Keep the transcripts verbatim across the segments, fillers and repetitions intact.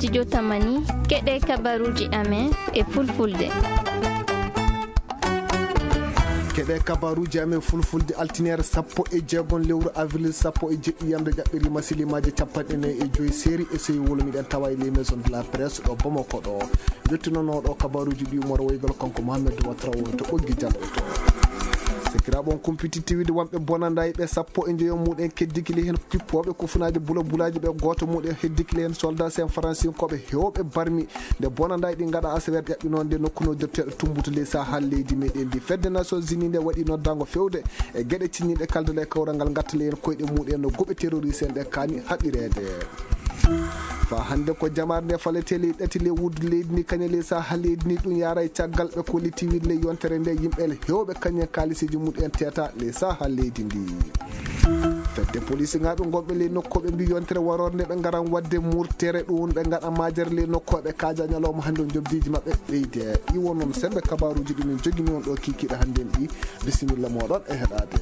Studio Tamani, keɗe kabaruuji amen e fulfulde. Keɗe kabaruuji amen fulfulde, altineere sappo e jeegom lewru avril sappo e jeɗɗi, yamde ƴaɓɓiri masilimaaji capanɗe nayi e joyi seeri e sewi wolo miɗen tawa e les maisons de la presse ɗo Bamako ɗo. Yettinanooɗo kabaruuji ɗi Umar Waygal kanko Mohamed Watra woni to ɓoggi janngo to. Sakiraaɓe, on kumpiti tiwide wonɓe bonandaaji ɓe sappo e njoyo muɗen keddikili heen kippooɓe kufunaaji bula bulaaji ɓe, gooto muɗen heddikili heen soldat sen faransinkooɓe heewɓe barmi nde bonandaaji ɗi ngaɗa asaweere ƴaɓɓinoonde nokku noddirteeɗo Tumbutu ley Sahal leydi meɗen ndi. Fedde Nations Unies nde waɗi noddaango fewde e geɗe cinniiɗe kaldale kawral ngal ngattale heen koyɗe muɗen no goɓe terroriste en ɗe kaani haɓireede. Fa hannde ko jamaare nde faletee ley ɗati ley wuddu leydi ndi, kañe ley Sahal leydi ndi, ɗum yaara e caggal ɓe kolliti wiide ley yontere nde yimɓe heewɓe kañen kaalisiji muɗen teeta ley Sahal leydi ndi. Fedde polisinaaɓe gonɓe ley nokku ɓe mbi yontere waroore nde ɓe ngaran waɗde murtere ɗum ɓe ngaɗa majere ley nokku ɓe kaaja ñalawma hannde o jobdiiji maɓɓe ɓeyde. Iwo noon sembe kabaruuji ɗi min jogini on ɗo kikiiɗe hannde en ɗi. Bisimilla moɗon e heɗaade.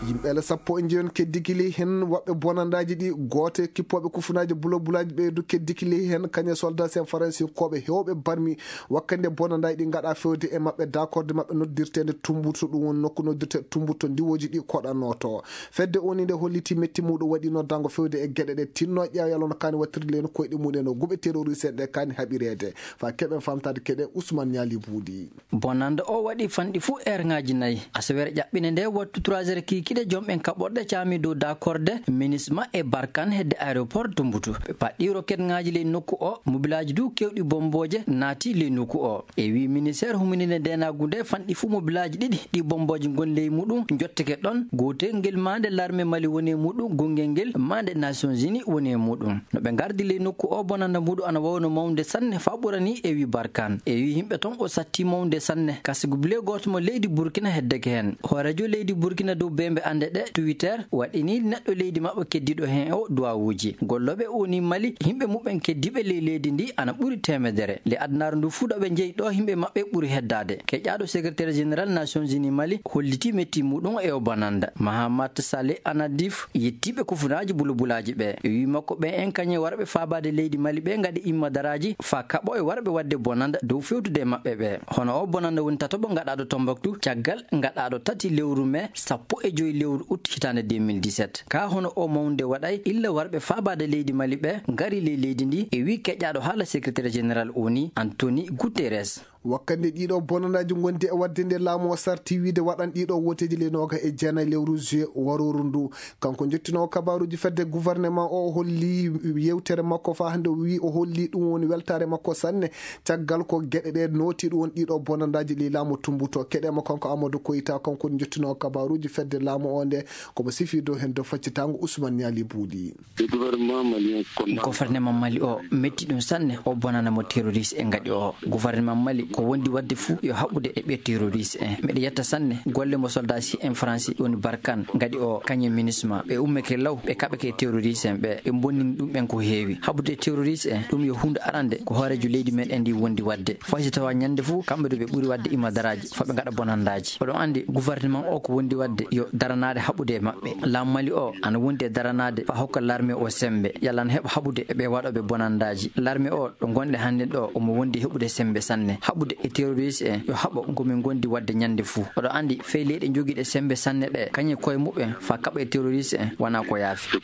Yimɓe ele sappo e njeyon keddikili heen woɓɓe bonandaaji ɗi, gooto e kippooɓe kufunaaji bulabulaaji ɓeydu keddikili heen, kañe soldat sen faransinkooɓe heewɓe barmi wakkande bonandaaji ɗi ngaɗa fewde e maɓɓe dakorde maɓɓe noddirteende Tumbutu, ɗum woni nokku noddirteeɗo Tumbutu ndiwooji ɗi koɗanooto. Fedde O N U nde holliti metti muɗum waɗi noddaango fewde e geɗe ɗe tinno ƴeewa yalo no kaani wattirde leen koyɗe muɗen no guɓe terroriste en ɗe kaani haɓireede. Fa keɓen famtaade keɗe Ousmane Niali Buudi. Bonannde o waɗi fanɗi fuu eerŋaaji nayi. Asaweere ƴaɓɓinde nde wattu trois heures kiikiiɗe, jomɓen kaɓorɗe caami dow dakorde Minisma e Barkan hedde aéroport Tumbutu. Ɓe paɗɗi roketŋaaji ley nokku o, mobilaaji du keewɗi bombooje naati ley nokku o. E wii ministeer humininde ndeenaagu nde fanɗi fuu mobilaaji ɗiɗi ɗi bombooje ngoni ley muɗum njotteke ɗon. Gootel ngel maande larme Mali woni e muɗum, gongel ngel maande Nations Unies woni e muɗum. No ɓe ngardi ley nokku o, bonannda muɗum ana wawno mawnude sanne faa ɓurani, e wii Barkan. E wii yimɓe ton o satti mawnude sanne. Kasigu bile gooto mo leydi Burkina heddeke heen. Hooreejo leydi Burkina dow beembe annde ɗe, Twitter, waɗini neɗɗo leydi maɓɓe keddiiɗo heen o duwawuuji. Gollooɓe O N U Mali, yimɓe muɓɓen keddiiɓe ley leydi ndi ana ɓuri teemedere. Ley adunaaru ndu fuu ɗo ɓe njeyi ɗo yimɓe maɓɓe ɓuri heddaade. Keƴaaɗo secrétaire général Nations Unies Mali holliti metti muɗum e o bonannda. Mahamat Saleh Anadif yettiiɓe kufunaaji bulabulaaji ɓe. E wii makko ɓen en kañe warɓe faabaade leydi Mali ɓe ngaɗi immadaraaji faa kaɓo e warɓe waɗde bonannda dow fewtude e maɓɓe ɓe. Hono o bonannda woni tataɓo ngaɗaaɗo Tombouctou caggal ngaɗaaɗo tati lewru mee sappo e joy lewru ut hitaande deux mille dix-sept. Kaa hono o mawnde waɗay illa warɓe faabaade leydi Mali ɓe ngari ley leydi ndi, e wii keƴaaɗo haala secrétaire général O N U Anthony Guterres. Wakkande ɗiɗo bonanaaji ngondi e waɗde nde laamu o sarti wiide waɗan ɗiɗo wooteeji ley nooga e jeenayi lewru juillet warooru ndu. Kanko jottinoowo kabaaruuji fedde gouvernement o holli yewtere makko faa hannde o wii o holli ɗum woni weltaare makko sanne. Caggal ko geɗe ɗe nooti ɗum woni ɗiɗo bonandaaji ley laamu tumbuto. Keɗe mo kanko Amadou Koyta, kanko woni jottinoowo kabaaruuji fedde laamu o nde, komo sifi dow heen dow faccitaango Ousmane Niali Buuli. Gouvernement Mali o metti ɗum sanne, o bonana mo terroriste en ngaɗi o. Gouvernement Mali ko wondi waɗde fuu yo haɓude e ɓe terroriste en. Miɗa yetta sanne golle mo soldat si en Faransi woni Barkan ngaɗi o, kañum e Minusma. Ɓe ummeke law, ɓe kaɓake e terroriste en ɓe, ɓe bonnini ɗum ɓen ko heewi. Haɓude e terroriste en, ɗum yo huunde arande ko hooreejo leydi men en ndi wondi waɗde. Fay si tawa ñande fuu kamɓe ɗo ɓe ɓuri waɗde imadaraaji, faa ɓe ngaɗa bonandaaji. Oɗon anndi gouvernement o ko wondi waɗde yo daranaade haɓude e maɓɓe. Laamu Mali o ana wondi e daranaade faa hokka larme o semmbe, yalla ana heɓa haɓude e ɓe waɗooɓe bonandaaji. Larme o ɗo ngonɗen hannden ɗo, omo wondi e heɓude semmbe sanne. Haɓude e terroriste en, yo haɓo ko min ngondi waɗde ñande fuu. Oɗo anndi fey leyɗe jogiiɗe semmbe sanne ɗe, kañe koye muɓɓen faa kaɓa e terroriste en, wonaa ko yaafi.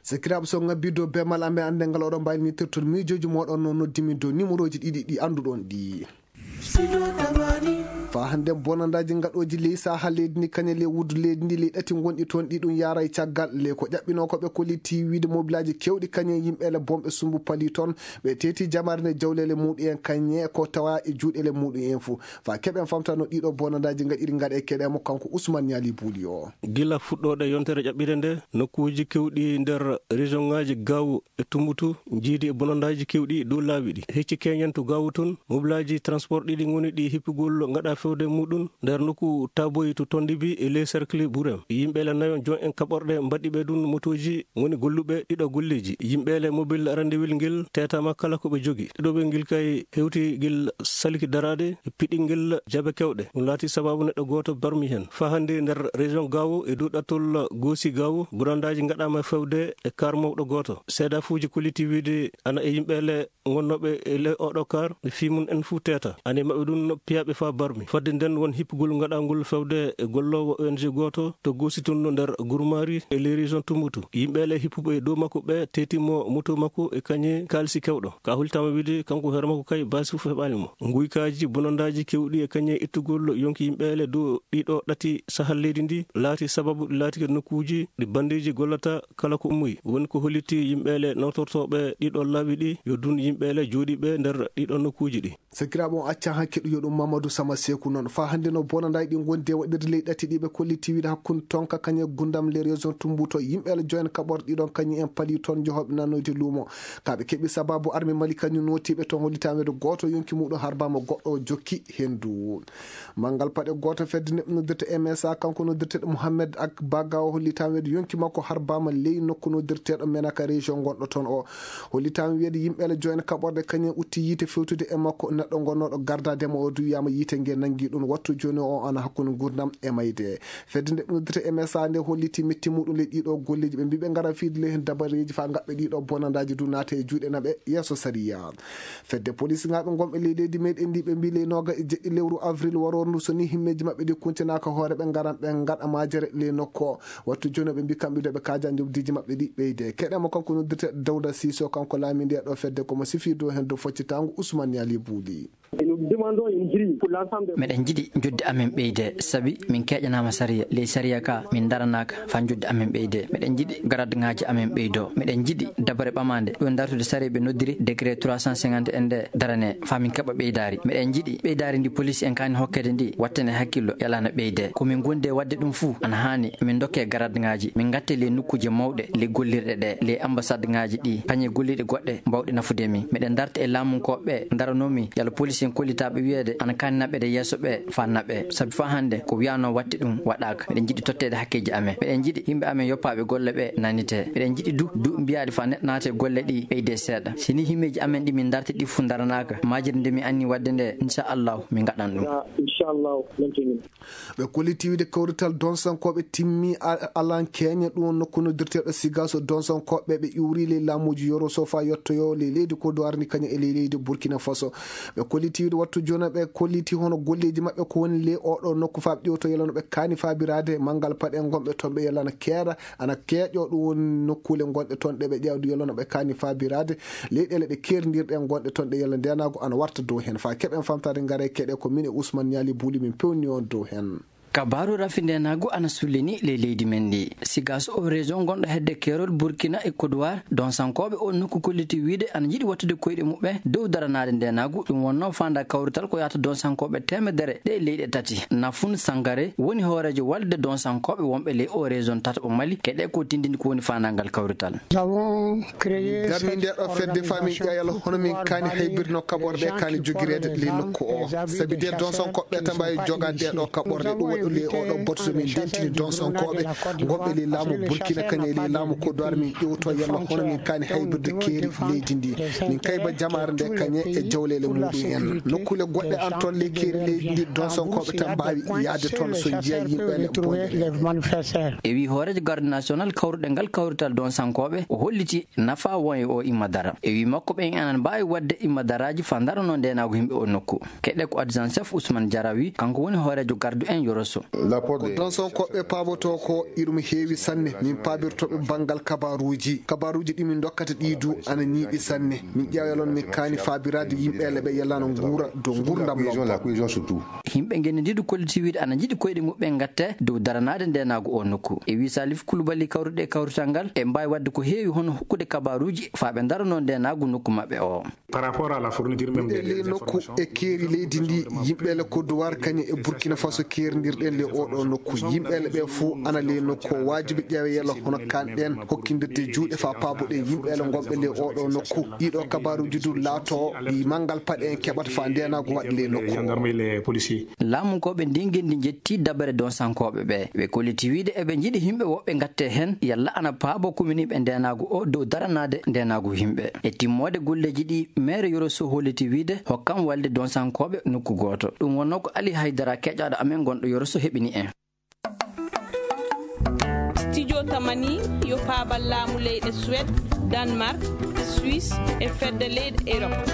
Sakiraaɓe, so ngabbii dow beemal amen anndal ngal, oɗon mbaawi nittirtude miijooji mooɗon no noddimi dow nimerooji ɗiɗi ɗi annduɗon ɗi. Faa hannde bonandaaji ngaɗooji ley sahaa leydi ndi, kañe ley wuddu leydi ndi, ley ɗati ngonɗi toon ɗi ɗum yaara e caggal. Ley ko ƴaɓɓinoo ko ɓe kolliti wiide mobilaaji keewɗi kañe yimɓe ele bomɓe sumbu pali toon. Ɓe teeti jamaare nde jawleele muɗum en kañe ko tawa e juuɗeele muɗum en fuu. Faa keɓen famta no ɗiɗo bonandaaji ngaɗiri ngaɗe keɗe mo kanko Ousmane Niali Buuli o. Gila fuɗɗoode yontere ƴaɓɓire nde, nokkuuji keewɗi nder région ŋaaji Gaawo e Tumbutu njiidi e bonandaaji keewɗi dow laawi ɗi. Hecci keñen to Gaawo toon, mobilaaji transport ɗiɗi ngoni ɗi hippugol ngaɗa fewde muɗum nder nokku Taboyi to Tondibi e ley cercle Burem. Yimɓeele nayo jon en kaɓorɗe mbaɗi ɓe ɗum motooji woni golluɓe ɗiɗo golleeji. Yimɓeele mobile rendez-vous ngel teetama kala ko ɓe jogi. Ɗiɗo ɓe ngel kay hewti ngel salki daraade e piɗingel jabe kewɗe. Ɗum laati sababu neɗɗo gooto barmi heen. Faa hannde nder région Gaawo e dow ɗattol Goosi Gaawo, burandaaji ngaɗaama fewde e kaar mawɗo gooto. Seedafuuji kolliti wiide ana e yimɓeele ngonnooɓe e ley oɗo kaar, ɓe fii mum en fuu teeta. Ane maɓɓe ɗum no piyaaɓe faa barmi. Fadde nden won hippugol ngaɗangol fewde e golloowo O N G gooto to Goosi tun no nder Gurmaari e ley région Tumbutu. Yimɓeele hippuɓe e dow makko ɓe teetimo moto makko e kañe kaalisi kewɗo. Ka hultama wiide kanko hoore makko kay baasi fuu heɓaali mo. Nguykaaji bonondaaji kewɗi e kañe ittugol yonki yimɓeele dow ɗiɗo ɗati sahal leydi ndi laati sababu ɗi laati nokkuuji ɗi bandeeji gollata kala ko ummoyi. Woni ko holliti yimɓeele nawtortooɓe ɗiɗo laawi ɗi yo dun yimɓeele jooɗiiɓe nder ɗiɗo nokkuuji ɗi. Sakiraaɓe, on acca hakke ɗum yo ɗum Mamadou Sama Seku noon. Faa hannde no bonandaaji ɗi ngondi e waɗirde ley ɗati ɗi ɓe kolliti wiide hakkunde Tonka kañe Gundam ley région Tumbuto. Yimɓeele joyen kaɓorɗe ɗiɗon kañum en pali toon jehooɓe nannoyde luumo. Ka ɓe keɓi sababu armi Mali kañum nootiiɓe toon hollitaama weedo gooto yonki muɗum harbaama goɗɗo o jokki henndu. Manngal paɗe gooto fedde neɗɗo noddirte M S A kanko noddirteeɗo Mohamed Ak Baga o hollitaama weedo yonki makko harbaama ley nokku noddirteeɗo Menaka région ngonɗo toon o. Hollitaama wiyeede yimɓeele joyen kaɓorɗe kañum utti yiite fewtude e makko. Neɗɗo gonnooɗo gardaade mo o du wiyaama yiite nge nanngi ɗum. Wattu jooni o ana hakkunde nguurndam e mayde. Fedde nde noddirte M S A nde holliti metti muɗum ley ɗiɗo golleeji. Ɓe mbii ɓe ngara fiide ley heen dabareeji faa ngaɓɓe ɗiɗo bonandaaji du naata e juuɗe naɓe yeeso sariya. Fedde polisinaaɓe ngonɓe ley leydi meɗen ndi ɓe mbii ley nooga e jeɗɗi lewru avril waroorndu so ni himmeeji maɓɓe ɗi kuntinaaka hoore ɓe ngaran ɓe ngaɗa majere ley nokku o. Wattu jooni ɓe mbii kamɓe du ɓe kaaja njoɓdiiji maɓɓe ɗi ɓeyde. Keɗen mo kanko noddirte Dawda Siiso, kanko laaminde ɗo fedde ko mo sifi dow heen dow foccitaango Ousmane Yali Buuli. Meɗen njiɗi njoddi amen ɓeyde, sabi min keeƴanaama sariya. Ley sariya ka, min ndaranaaka faa njoddi amen ɓeyde. Meɗen njiɗi garadŋaaji amen ɓeydo. Meɗen njiɗi dabare ɓamaande ɗo dartude sariya ɓe noddiri décret trois cent cinquante en nde darane faa min keɓa ɓeydaari. Meɗen njiɗi ɓeydaari ndi police en kaani hokkede ndi wattane hakkillo yalana ɓeyde. Ko min gondi e waɗde ɗum fuu ana haani min ndokke garadŋaaji, min ngatte ley nokkuuje mawɗe, ley gollirɗe ɗe, ley ambasadŋaaji ɗi, kañe golliiɗe goɗɗe mbawɗe nafude min. Meɗen darta e laamunkooɓe ɓe, ndaranoo min yalla police en kollitaaɓe wiyeede ana kaani naɓede yeeso ɓe faa naɓe. Sabi faa hannde ko wiyanoo waɗte ɗum waɗaaka. Meɗen njiɗi totteede hakkeeji amen. Meɗen njiɗi yimɓe amen yoppaaɓe golle ɓe nanite. Meɗen njiɗi du, du mbiyaaɗi faa neɗɗo naata e golle ɗi ɓeyde seeɗa. Si ni himmeeji amen ɗi min darti ɗi fuu ndaranaaka, majire nde min anni waɗde nde, inchallahu, min ngaɗan ɗum. Inchallahu, min tini. Ɓe kolliti wiide kawrital donsankooɓe timmi a-, alan keeña ɗum nokku noddirteeɗo Sigaso. Donsankooɓe ɓe ƴuuri ley laamuuji Yoroso faa yottoyoo ley leydi Kodowar ni kañum e ley leydi Burkina Faso. Ɓe kolliti wiide wattu jooni ɓe kolliti hono golleeji maɓɓe ko woni ley oɗo nokku faa ɓe ƴewto yalla no ɓe kaani faabiraade manngal paɗe ngonɓe toon ɓe yalla na keeɗa ana keeƴoo ɗum woni nokkuule ngonɗe toon ɗe ɓe ƴeewdi yalla no ɓe kaani faabiraade. Leyɗeele ɗe keerindirɗe ngonɗe toon ɗe yalla ndeenaagu ana warta dow heen. Faa keɓen famtaade ngare keɗe ko min e Ousmane Niali Buuli min pewni on dow heen. Kabaaru rafi ndeenaagu ana sullini ley leydi men ndi. Sigaso o région ngonɗo hedde keerol Burkina e Kodowar, donsankooɓe o nokku kolliti wiide ana njiɗi wattude koyɗe muɓɓen dow daranaade ndeenaagu. Ɗum wonnoo faandaa kawrital ko yahata donsankooɓe teemedere ɗe leyɗe tati. Nafun Sangare woni hooreejo walde donsankooɓe wonɓe ley o région tataɓo Mali. Keɗe ko tindini ko woni faandaa ngal kawrital. Min darni nde ɗo fedde faa min ƴeewa yalla hono min kaani haybirde no kaɓorɗe kaani jogireede ley nokku o. Sabi de donsankooɓe tan mbaawi jogaade ɗe ɗo kaɓorɗe. Ɗum waɗi ley oɗo batu so min ndentini donsankooɓe ngonɓe ley laamu Burkina kañum e ley laamu Kodowar min ƴewto yalla hono min kaani haybirde keeri leydi ndi. Min kayba jamaare nde kañum e jawleele muɗum en. Nokkuule goɗɗe an toon ley keeri leydi ndi donsankooɓe tan mbaawi yahde toon so njiya yimɓe ne bonde. E wii hooreejo garde national kawruɗe ngal kawrital donsankooɓe, o holliti nafa won e o imma dara. E wii makko ɓen anan mbaawi waɗde imma daraaji faa ndaranoo ndeenaagu yimɓe o nokku. Keɗe ko adjoint chef Ousmane Diarra wi, kanko woni hooreejo gardu en Yoroso. Ko donsankooɓe paabotoo ko iɗum heewi sanne. Min paabirtooɓe banngal kabaaruuji. Kabaaruuji ɗi min ndokkata ɗi du ana ñiiɓi sanne. Min ƴeewa yalla no min kaani faabiraade yimɓe ele ɓe yalla no nguura dow nguurndam lobbo. Yimɓe ngenndi ndi du kolliti wiide ana njiɗi koyɗe muɓɓen ngatte dow daranaade ndeenaagu o nokku. E wii Salif Koulibaly kawruɗe e kawrital ngal e mbaawi waɗde ko heewi hono hokkude kabaaruuji faa ɓe ndaranoo ndeenaagu nokku maɓɓe o. Par rapport à la fourniture même des informations. Miɗe ley nokku e keeri leydi ndi, yimɓe le Côte d'Ivoire kañum e Burkina Faso keerindirɗe Ɗen ley oo ɗoo nokku, yimɓeele ɓee fof ana ley nokku o. Waajibi ƴeewe yelo hono kaan ɗeen hokkindirde juuɗe faa paaboɗen yimɓeele ngonɓe ley oo ɗoo nokku. Ɗii ɗoo kabaaruuji du laatoo ɗi manngal paɗe en keɓata faa ndeenaagu waɗa ley nokku o. Laamunkooɓe ndii ngenndi njettii dabere donsankooɓe ɓee. Ɓe kolliti wiyde eɓe njiɗi yimɓe woɓɓe ngattee heen, yalla ana paaboo kuminiiɓe ndeenaagu o dow daranaade ndeenaagu yimɓe. E timmoode golleeji ɗii, meere Yoro Sow holliti wiyde hokkam walde donsankooɓe nokku gooto. Ɗum wonnoo ko Ali Haydara, keƴaaɗo amen gonɗo Yoro Sow, heɓini en. Studio Tamani yo paabal laamu leyɗe Suède, Danemark, Suisse e fedde leyɗe Europe.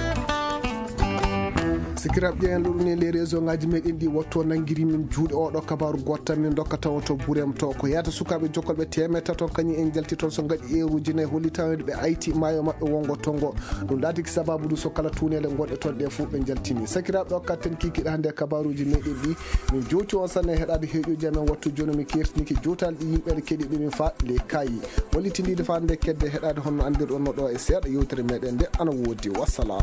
Sikiraaɓe, ƴeewen luuɗu ni ley réseau ngaji meɗen ɗi, wattu o nanngiri min juuɗe oo ɗoo kabaaru gooto tan min ndokka tawa to Burem to. Ko yahata sukaaɓe jokkolɓe teemeɗɗe tato kañum en njalti toon so ngaɗi eeruuji nayi hollitaade ɓe ayti maayo maɓɓe wonngo to ngo. Ɗum laatiki sabaabu du so kala tuuneele gonɗe toon ɗe fof ɓe njaltini. Sakiraaɓe, o katten kikiiɗe hannde e kabaaruuji meɗen ɗi. Min jowti on sanne heɗaade heeƴuuji amen wattu jooni. Mi kertinike jowtaali ɗi yimɓeele keɗiiɓe min faa ley kaayi. Wallitindiide faa nde kedde heɗaade honno anndirɗon no ɗo e seeɗa yewtere meɗen nde ana woodi. Wassalam.